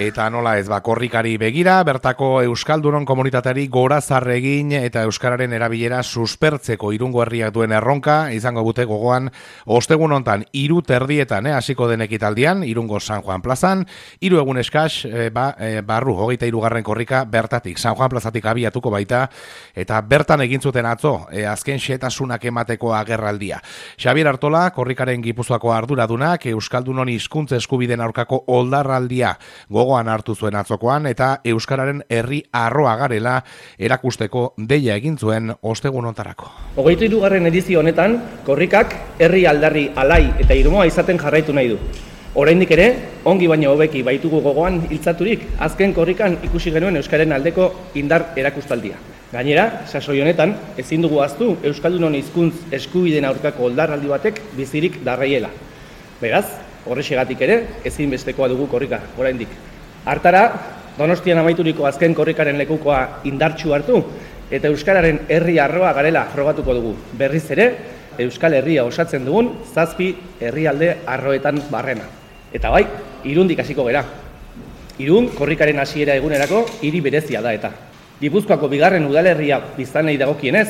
Eta nola ez, korrikari begira, bertako Euskaldunon komunitateari gorazarre egin eta Euskararen erabilera suspertzeko Irungo herriak duen erronka, izango bute gogoan, ostegun hontan 3:30 hasiko den ekitaldian, Irungo San Juan plazan, 3 egun eskas, barru, 23. korrika bertatik, San Juan plazatik abiatuko baita, eta bertan egin zuten atzo, azken xehetasunak emateko agerraldia. Xabier Artola, korrikaren Gipuzkoako arduradunak, Euskaldunon hizkuntza eskubideen aurkako oldarraldia gogoan hartu zuen atzokoan eta Euskararen herri arroa garela erakusteko deia egin zuen ostegun hontarako. 23. edizio honetan, korrikak herri aldarri alai eta irmoa izaten jarraitu nahi du. Oraindik ere, ongi baino hobeki baitugu gogoan hiltzaturik, azken korrikan ikusi genuen Euskararen aldeko indar erakustaldia. Gainera, sasoi honetan, ezin dugu ahaztu Euskaldunon hizkuntz eskubideen aurkako oldarraldi batek bizirik darraiela. Beraz, horrexegatik ere, ezinbestekoa dugu korrika, oraindik. Hartara, Donostian amaituriko azken korrikaren lekukoa indartsu hartu, eta Euskararen herri arroa garela frogatuko dugu. Berriz ere, Euskal Herria osatzen dugun 7 herrialde arroetan barrena. Eta bai, Irundik hasiko gera. Irun, korrikaren hasiera egunerako hiri berezia da eta. Gipuzkoako 2. udalerria biztanlei dagokienez,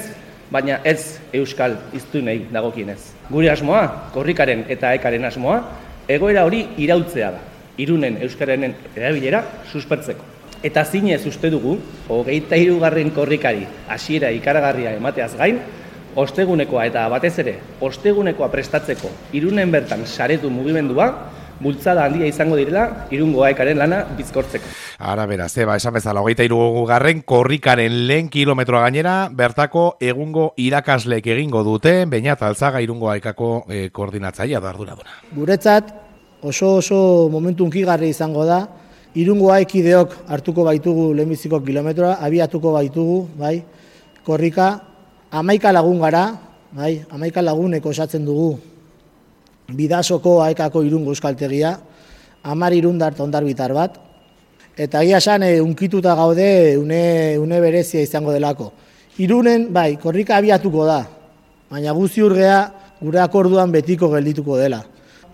baina ez Euskal hiztunei dagokienez. Gure asmoa, korrikaren eta ekaren asmoa, egoera hori irautzea da, Irunen euskararen erabilera suspertzeko. Eta zinez uste dugu, 23. korrikari hasiera ikaragarria emateaz gain, ostegunekoa eta batez ere, ostegunekoa prestatzeko Irunen bertan saretu mugimendua, bultzada handia izango direla Irungo ekaren lana bizkortzeko. Ara beraz, esan bezala, 23. korrikaren lehen kilometroa gainera, bertako egungo irakasleek egingo dute, Beñat Alzaga Irungo ekako koordinatzailea da arduraduna. Guretzat oso momentu hunkigarri izango da, Irungo aikideok hartuko baitugu lehenbiziko kilometroa, abiatuko baitugu, bai, korrika, 11 lagun gara, bai, 11 laguneko osatzen dugu Bidasoko aekako Irungo euskaltegia, 10 irundart ondarbitar bat, eta egia esan unkituta gaude une berezia izango delako. Irunen, bai, korrika abiatuko da, baina guzti urgea gure akorduan betiko geldituko dela.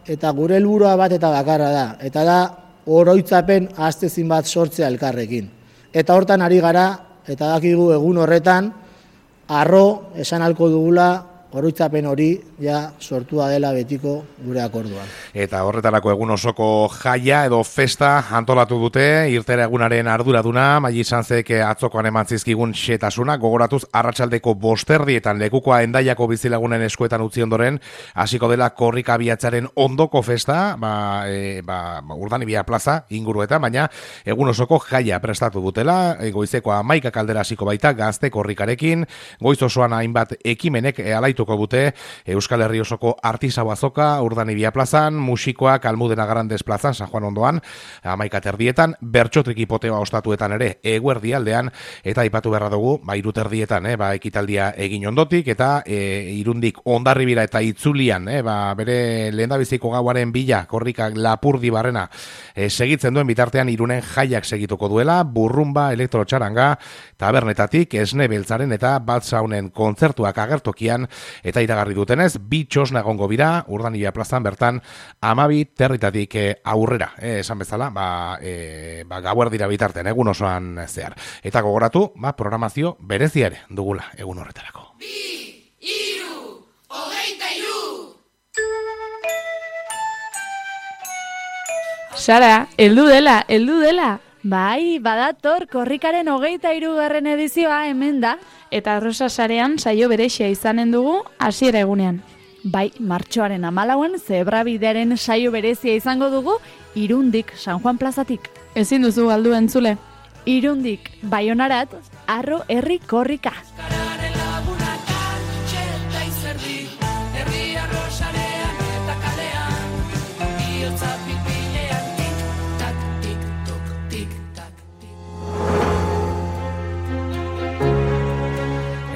Eta gure helburua bat eta bakarra da, eta da oroitzapen ahaztezin bat sortzea elkarrekin. Eta hortan ari gara, eta dakigu egun horretan, arro esan halko dugula, oroitzapen hori ja sortua dela betiko gure akorduan. Eta horretarako egun osoko jaia edo festa antolatu dute, irtera egunaren arduraduna, Maili Sanzek atzokoan eman zizkigun xetasuna, gogoratuz arratsaldeko 5:00 lekukoa Hendaiako bizilagunen eskuetan utzi ondoren, hasiko dela korrika abiatzaren ondoko festa, Urdanibia plaza inguruetan, baina egun osoko jaia prestatu dutela, goizeko 11 kaldera hasiko baita gazte korrikarekin, goiz osoan hainbat ekimenek alaitu bute Euskal Herri osoko artisau azoka Urdanibia plazan, musikoak Almudena Grandes plazan, San Juan ondoan, 11:30, bertxotrik hipoteoa ostatuetan ere eguerdi aldean, eta aipatu beharra dugu, 3:30 ekitaldia egin ondotik, eta Irundik Hondarribira eta Itzulian, bere lehendabiziko gauaren bila, korrikak Lapurdi barrena segitzen duen bitartean Irunen jaiak segituko duela, burrumba, elektrotxaranga, tabernetatik, esne beltzaren eta batzaunen kontzertuak agertokian, eta iragarri dutenez, 2 txosna egongo bira, Urdanibia plazan bertan 12:00 aurrera, esan bezala, gauerdira bitartean, egun osoan zehar. Eta gogoratu, programazio berezia ere dugula egun horretarako. 2, 3, 23! Sara, heldu dela! Bai, badator korrikaren 23. edizioa hemen da, eta Rosa sarean saio berexia izanen dugu hasiera egunean. Bai, martxoaren 14 zebrabidearen saio berezia izango dugu Irundik San Juan plazatik. Ezin duzu galdu entzule. Irundik Baionarat, arro herri korrika.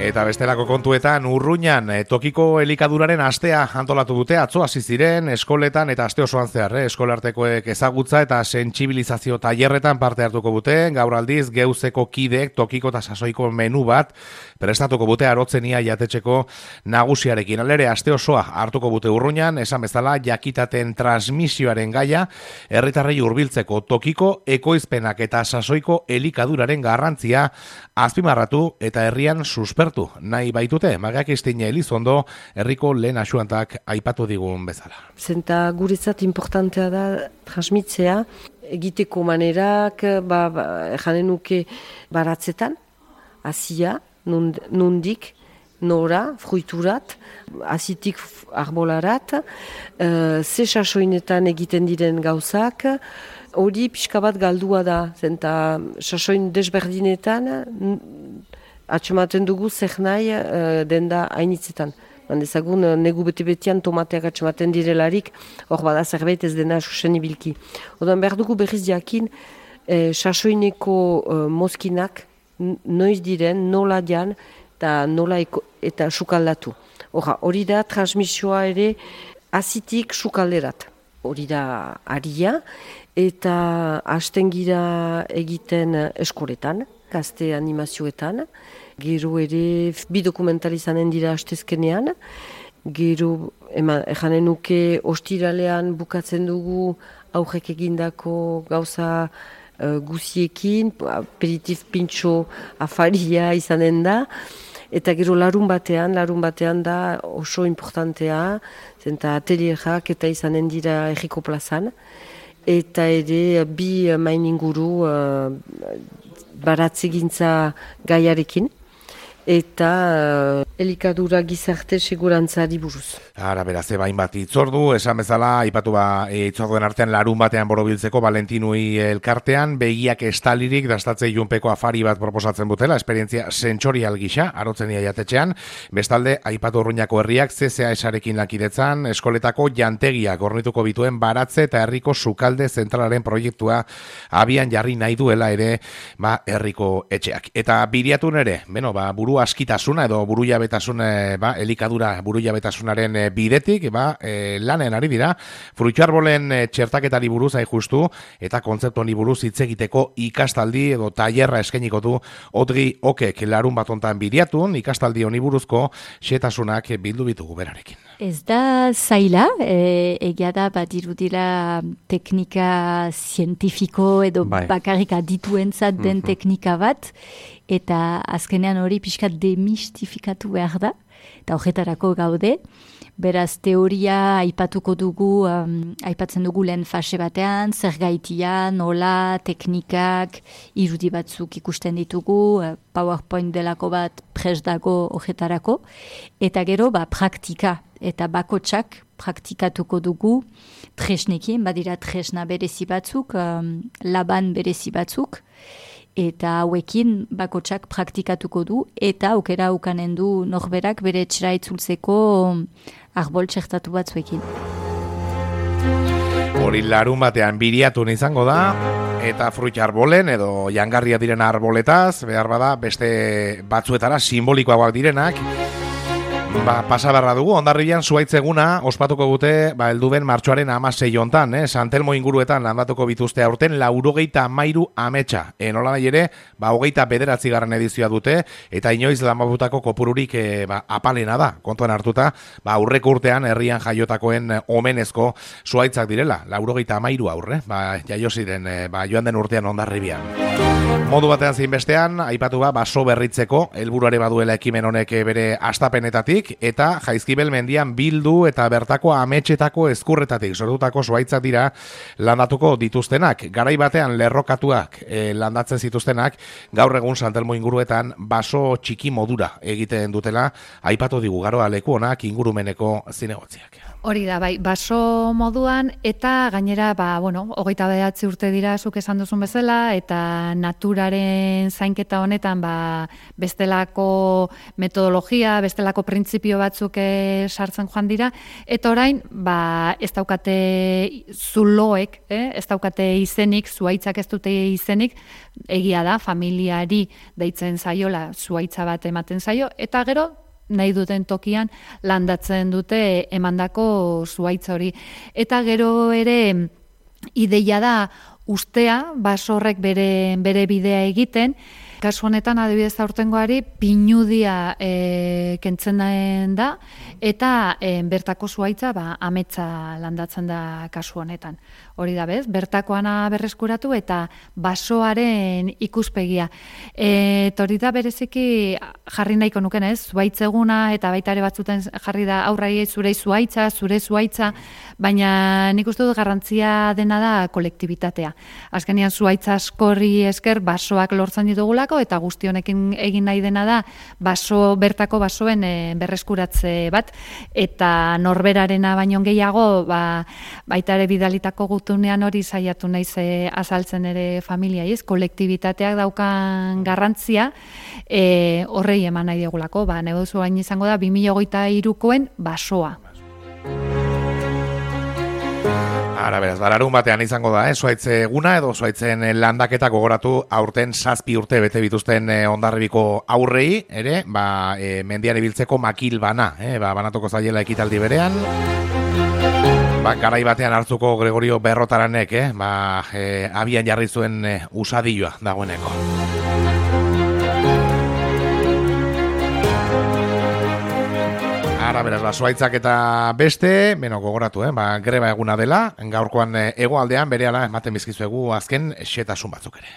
Eta Eta bestelako kontuetan Urruñan tokiko elikaduraren astea antolatu dute. Atzo hasi ziren eskoletan eta aste osoan zehar, eskolartekoek ezagutza eta sentsibilizazio tailerretan parte hartuko dute. Gaur aldiz geuzeko kideek tokiko eta sasoiko menu bat prestatuko dute arotzenia jatetxeko nagusiarekin. Alere aste osoa hartuko dute Urruñan, esan bezala jakitaten transmisioaren gaia herritarrei hurbiltzeko tokiko ekoizpenak eta sasoiko elikaduraren garrantzia azpimarratu eta herrian suspertu nahi baitute. Magakistine Elizondo herriko lehen asuantak aipatu digun bezala. Zenta guretzat importantea da transmitzea, egiteko manerak, janen nuke baratzetan, hasia, nondik, nora, fruiturat, azitik arbolarat, ze sasoinetan egiten diren gauzak, hori pixka bat galdua da, zenta sasoin desberdinetan, atxematen dugu zer nahi denda hainitzetan. Dezagun, negu bete-betean tomateak atxematen direlarik, hor bada zerbait ez dena sostenibilki. Odan behar dugu berriz jakin, sasoineko mozkinak noiz diren, nola dian, eta nola eta sukaldatu. Hori da transmisioa ere azitik sukalderat. Hori da aria, eta hasten gira egiten eskoletan, gazte animazioetan, gero ere bi dokumental izanen dira hastezkenean, gero janen nuke ostiralean bukatzen dugu aurrek egindako gauza guziekin, aperitif pintxo afaria izanen da, eta gero larun batean da oso importantea, zenta atelierak eta izanen dira erriko plazan, eta ere bi main inguru baratzegintza gaiarekin, eta elikadura gizarte segurantzari buruz. Ara, beraz, bain bat itzordu, esan bezala, aipatu itzorduen artean larun batean borobiltzeko Valentinui elkartean, begiak estalirik dastatze junpeko afari bat proposatzen butela, esperientzia sentsorial gisa, arotzenia jatetxean, bestalde, aipatu Urruñako herriak CCAS-arekin lankidetzan, eskoletako jantegiak ornituko bituen baratze eta herriko sukalde zentralaren proiektua abian jarri nahi duela ere, herriko etxeak. Eta biriatun ere, buru askitasuna edo burujabetasun elikadura burujabetasunaren bidetik lanen ari dira fruituarbolen txertaketari buruz hain justu eta kontzeptu honi buruz hitz egiteko ikastaldi edo tailerra eskainiko du Odri Okek larun bat hontan biriatun ikastaldi honi buruzko xehetasunak bildu bitugu berarekin. Ez da zaila, egia da badirudila teknika zientifiko edo bakarrik adituentzat den teknika bat, eta azkenean hori pixkat demistifikatu behar da, eta horretarako gaude. Beraz, teoria aipatuko dugu, aipatzen dugu lehen fase batean, zer gaitia, nola, teknikak, irudi batzuk ikusten ditugu, PowerPoint delako bat prest dago horretarako, eta gero praktika, eta bakotsak praktikatuko dugu tresnekin, badira tresna berezi batzuk, laban berezi batzuk, eta hauekin bakotsak praktikatuko du, eta aukera ukanen du norberak bere etxera itzultzeko arbol txertatu batzuekin. Hori larun batean biriatun izango da, eta fruitarbolen edo jangarria diren arboletaz, behar bada beste batzuetara simbolikoagoak direnak, pasabarra dugu, Hondarribian zuaitzeguna ospatuko dute helduben martxoaren 16 hontan, Santelmo inguruetan landatuko bituzte aurten 93 ametsa. Nola nahi ere, 29. edizioa dute, eta inoiz lanbabutako kopururik apalena da, kontuan hartuta, aurreko urtean herrian jaiotakoen omenezko zuaitzak direla, 93 aurre, jaio ziren, joan den urtean Hondarribian. Modu batean zein bestean, aipatu baso berritzeko, helburuare baduela ekimen honek bere astapenetatik, eta Jaizkibel mendian bildu eta bertako ametxetako ezkurretatik sortutako zuaitzak dira landatuko dituztenak. Garai batean lerrokatuak landatzen zituztenak, gaur egun Santelmo inguruetan baso txiki modura egiten dutela, aipatu digu Garoa leku honak ingurumeneko zinegotziak. Hori da, bai, baso moduan, eta gainera, 29 urte dira zuk esan duzun bezala, eta naturaren zainketa honetan, bestelako metodologia, bestelako printzipio batzuk sartzen joan dira, eta orain, ez daukate zuloek, ez daukate izenik, zuhaitzak ez dute izenik, egia da, familiari deitzen zaiola, zuhaitza bat ematen zaio, eta gero, nahi duten tokian landatzen dute emandako zuhaitza hori. Eta gero ere ideia da ustea, baso horrek bere bidea egiten, kasu honetan adibidez aurtengoari pinudia kentzen da, eta bertako zuhaitza ametsa landatzen da kasu honetan. Hori da bez, bertakoana berreskuratu eta basoaren ikuspegia. Eta hori da bereziki jarri nahiko nuken ez, zuhaitz eguna eta baita ere batzuten jarri da aurrai zure zuhaitza, baina nik uste dut garrantzia dena da kolektibitatea. Azkenean zuhaitza askorri esker basoak lortzen ditugulako eta guzti honekin egin nahi dena da bertako basoen berreskuratze bat eta norberarena baino gehiago baita ere bidalitako gutunean hori saiatu naiz azaltzen ere familiai, ez? Kolektibitateak daukan garrantzia horrei eman nahi diegulako, negozu bain izango da 2023koen basoa. Ara, beraz, larun batean izango da, zuhaitz eguna edo zuhaitzen landaketa gogoratu aurten 7 urte bete bituzten Hondarribiko aurrei, ere, mendian ibiltzeko makil bana, banatuko zaiela ekitaldi berean. Garai batean hartzuko Gregorio Berrotaranek, abian jarri zuen usadioa dagoeneko. Ara, beraz, zuhaitzak eta beste, gogoratu, greba eguna dela, gaurkoan hegoaldean berehala ematen bizkizuegu azken xetasun batzuk ere.